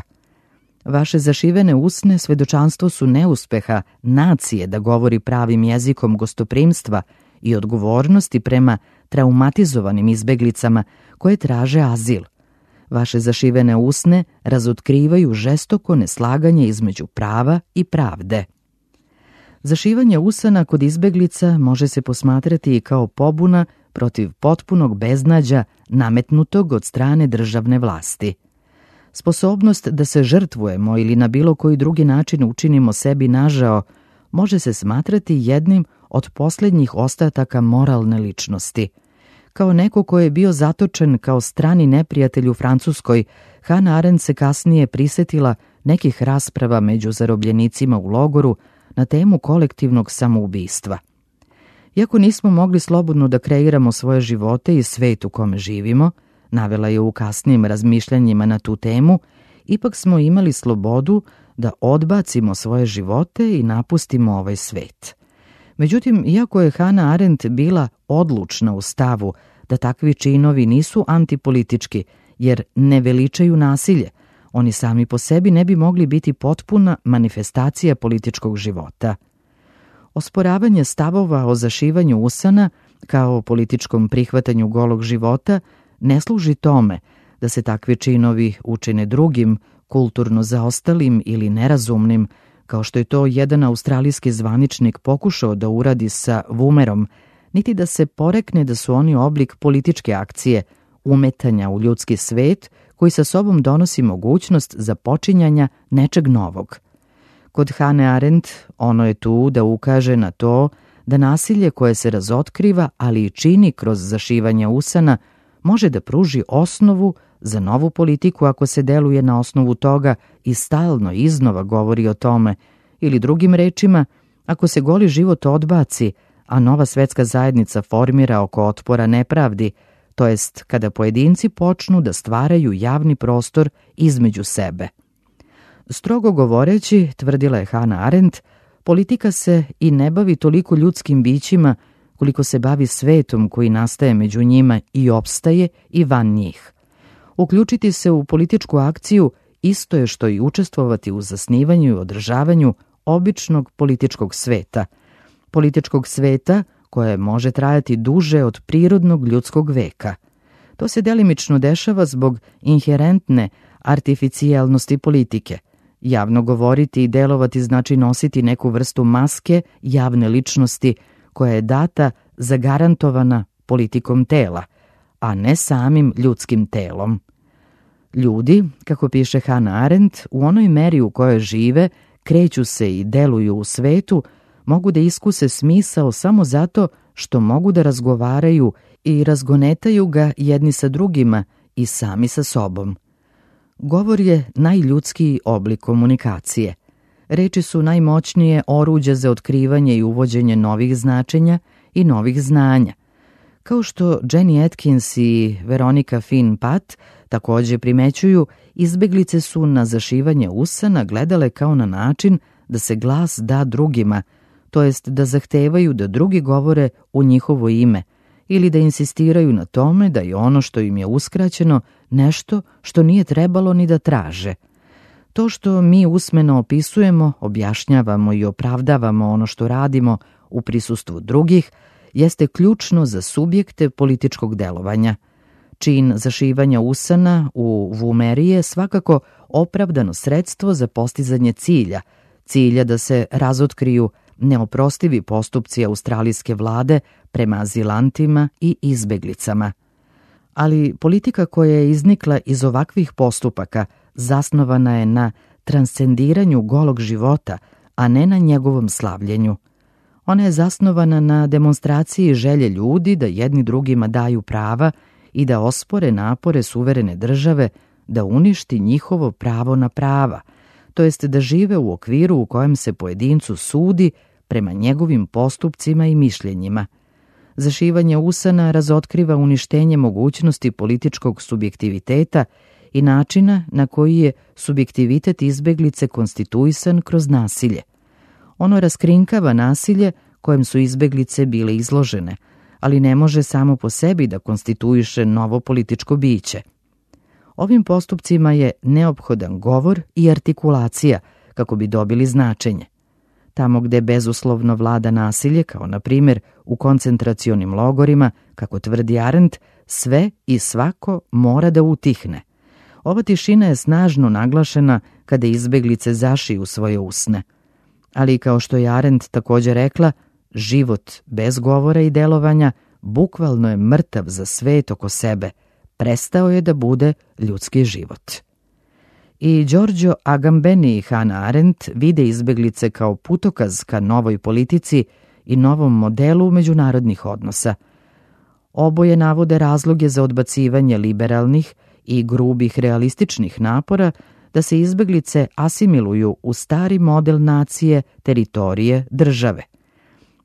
Vaše zašivene usne svedočanstvo su neuspeha nacije da govori pravim jezikom gostoprimstva i odgovornosti prema traumatizovanim izbeglicama koje traže azil. Vaše zašivene usne razotkrivaju žestoko neslaganje između prava i pravde. Zašivanje usana kod izbeglica može se posmatrati i kao pobuna protiv potpunog beznađa nametnutog od strane državne vlasti. Sposobnost da se žrtvujemo ili na bilo koji drugi način učinimo sebi nažao može se smatrati jednim od posljednjih ostataka moralne ličnosti. Kao neko ko je bio zatočen kao strani neprijatelj u Francuskoj, Hannah Arendt se kasnije prisetila nekih rasprava među zarobljenicima u logoru na temu kolektivnog samoubistva. Iako nismo mogli slobodno da kreiramo svoje živote i svet u kome živimo, navela je u kasnijim razmišljanjima na tu temu, ipak smo imali slobodu da odbacimo svoje živote i napustimo ovaj svet. Međutim, iako je Hannah Arendt bila odlučna u stavu da takvi činovi nisu antipolitički, jer ne veličaju nasilje, oni sami po sebi ne bi mogli biti potpuna manifestacija političkog života. Osporavanje stavova o zašivanju usana kao političkom prihvatanju golog života ne služi tome da se takvi činovi učine drugim, kulturno zaostalim ili nerazumnim, kao što je to jedan australijski zvaničnik pokušao da uradi sa Wumerom, niti da se porekne da su oni oblik političke akcije, umetanja u ljudski svet koji sa sobom donosi mogućnost započinjanja nečeg novog. Kod Hannah Arendt ono je tu da ukaže na to da nasilje koje se razotkriva, ali i čini kroz zašivanje usana, može da pruži osnovu za novu politiku ako se deluje na osnovu toga i stalno iznova govori o tome, ili drugim rečima, ako se goli život odbaci, a nova svetska zajednica formira oko otpora nepravdi, to jest kada pojedinci počnu da stvaraju javni prostor između sebe. Strogo govoreći, tvrdila je Hannah Arendt, politika se i ne bavi toliko ljudskim bićima koliko se bavi svetom koji nastaje među njima i opstaje i van njih. Uključiti se u političku akciju isto je što i učestvovati u zasnivanju i održavanju običnog političkog sveta koje može trajati duže od prirodnog ljudskog veka. To se delimično dešava zbog inherentne artificijalnosti politike. Javno govoriti i delovati znači nositi neku vrstu maske javne ličnosti koja je data zagarantovana politikom tela, a ne samim ljudskim telom. Ljudi, kako piše Hannah Arendt, u onoj meri u kojoj žive, kreću se i deluju u svetu, mogu da iskuse smisao samo zato što mogu da razgovaraju i razgonetaju ga jedni sa drugima i sami sa sobom. Govor je najljudskiji oblik komunikacije. Reči su najmoćnije oruđe za otkrivanje i uvođenje novih značenja i novih znanja. Kao što Jenny Atkins i Veronica Finn Pat također primećuju, izbeglice su na zašivanje usana gledale kao na način da se glas da drugima, to jest da zahtevaju da drugi govore u njihovo ime ili da insistiraju na tome da je ono što im je uskraćeno nešto što nije trebalo ni da traže. To što mi usmeno opisujemo, objašnjavamo i opravdavamo ono što radimo u prisustvu drugih, jeste ključno za subjekte političkog delovanja. Čin zašivanja usana u Wumeri je svakako opravdano sredstvo za postizanje cilja da se razotkriju neoprostivi postupci australijske vlade prema azilantima i izbeglicama. Ali politika koja je iznikla iz ovakvih postupaka zasnovana je na transcendiranju golog života, a ne na njegovom slavljenju. Ona je zasnovana na demonstraciji želje ljudi da jedni drugima daju prava i da ospore napore suverene države da uništi njihovo pravo na prava, to jest da žive u okviru u kojem se pojedincu sudi prema njegovim postupcima i mišljenjima. Zašivanje usana razotkriva uništenje mogućnosti političkog subjektiviteta i načina na koji je subjektivitet izbeglice konstituisan kroz nasilje. Ono raskrinkava nasilje kojem su izbeglice bile izložene, ali ne može samo po sebi da konstituiše novo političko biće. Ovim postupcima je neophodan govor i artikulacija kako bi dobili značenje. Tamo gde bezuslovno vlada nasilje, kao na primjer u koncentracionim logorima, kako tvrdi Arendt, sve i svako mora da utihne. Ova tišina je snažno naglašena kada izbeglice zašiju svoje usne. Ali kao što je Arendt također rekla, život bez govora i delovanja bukvalno je mrtav za svet oko sebe, prestao je da bude ljudski život. I Giorgio Agamben i Hannah Arendt vide izbeglice kao putokaz ka novoj politici i novom modelu međunarodnih odnosa. Oboje navode razloge za odbacivanje liberalnih i grubih realističnih napora da se izbeglice asimiluju u stari model nacije, teritorije, države.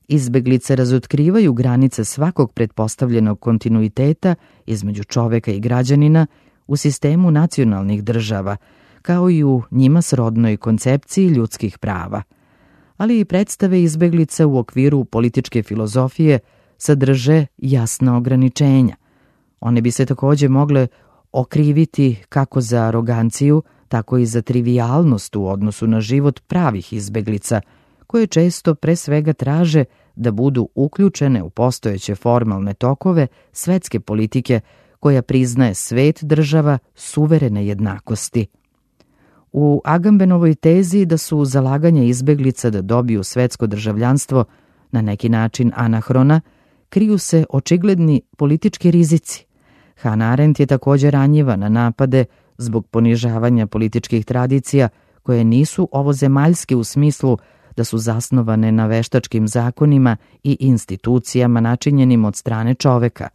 Izbeglice razotkrivaju granice svakog pretpostavljenog kontinuiteta između čoveka i građanina u sistemu nacionalnih država, kao i u njima srodnoj koncepciji ljudskih prava. Ali i predstave izbeglica u okviru političke filozofije sadrže jasna ograničenja. One bi se takođe mogle okriviti kako za aroganciju, tako i za trivijalnost u odnosu na život pravih izbeglica, koje često pre svega traže da budu uključene u postojeće formalne tokove svetske politike koja priznaje svet država suverene jednakosti. U Agambenovoj tezi da su zalaganja izbeglica da dobiju svetsko državljanstvo na neki način anahrona, kriju se očigledni politički rizici. Hannah Arendt je također ranjiva na napade zbog ponižavanja političkih tradicija koje nisu ovozemaljske u smislu da su zasnovane na veštačkim zakonima i institucijama načinjenim od strane čoveka.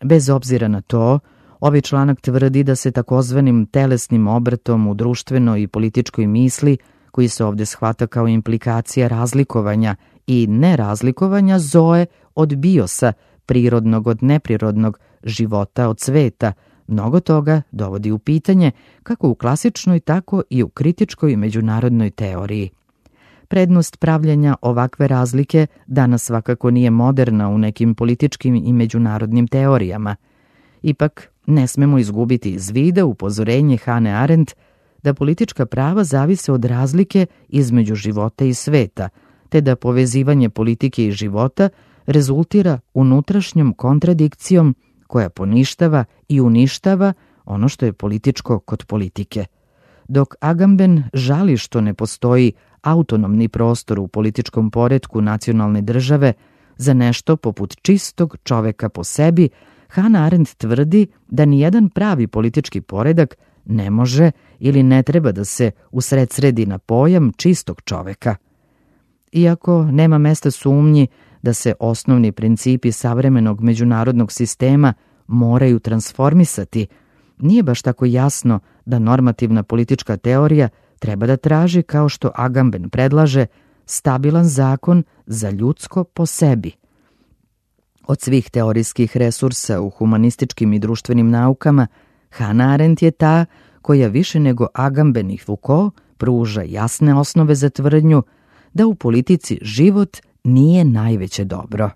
Bez obzira na to, ovaj članak tvrdi da se takozvanim telesnim obrtom u društvenoj i političkoj misli, koji se ovdje shvata kao implikacija razlikovanja i nerazlikovanja zoe od biosa, prirodnog od neprirodnog, života od sveta, mnogo toga dovodi u pitanje kako u klasičnoj, tako i u kritičkoj međunarodnoj teoriji. Prednost pravljenja ovakve razlike danas svakako nije moderna u nekim političkim i međunarodnim teorijama. Ipak, ne smemo izgubiti iz vida upozorenje Hannah Arendt da politička prava zavise od razlike između života i sveta, te da povezivanje politike i života rezultira unutrašnjom kontradikcijom koja poništava i uništava ono što je političko kod politike. Dok Agamben žali što ne postoji autonomni prostor u političkom poretku nacionalne države za nešto poput čistog čoveka po sebi, Hannah Arendt tvrdi da nijedan pravi politički poredak ne može ili ne treba da se usredsredi na pojam čistog čoveka. Iako nema mesta sumnji da se osnovni principi savremenog međunarodnog sistema moraju transformisati, nije baš tako jasno da normativna politička teorija treba da traži, kao što Agamben predlaže, stabilan zakon za ljudsko po sebi. Od svih teorijskih resursa u humanističkim i društvenim naukama, Hannah Arendt je ta koja više nego Agamben i Foucault pruža jasne osnove za tvrdnju da u politici život nije najveće dobro.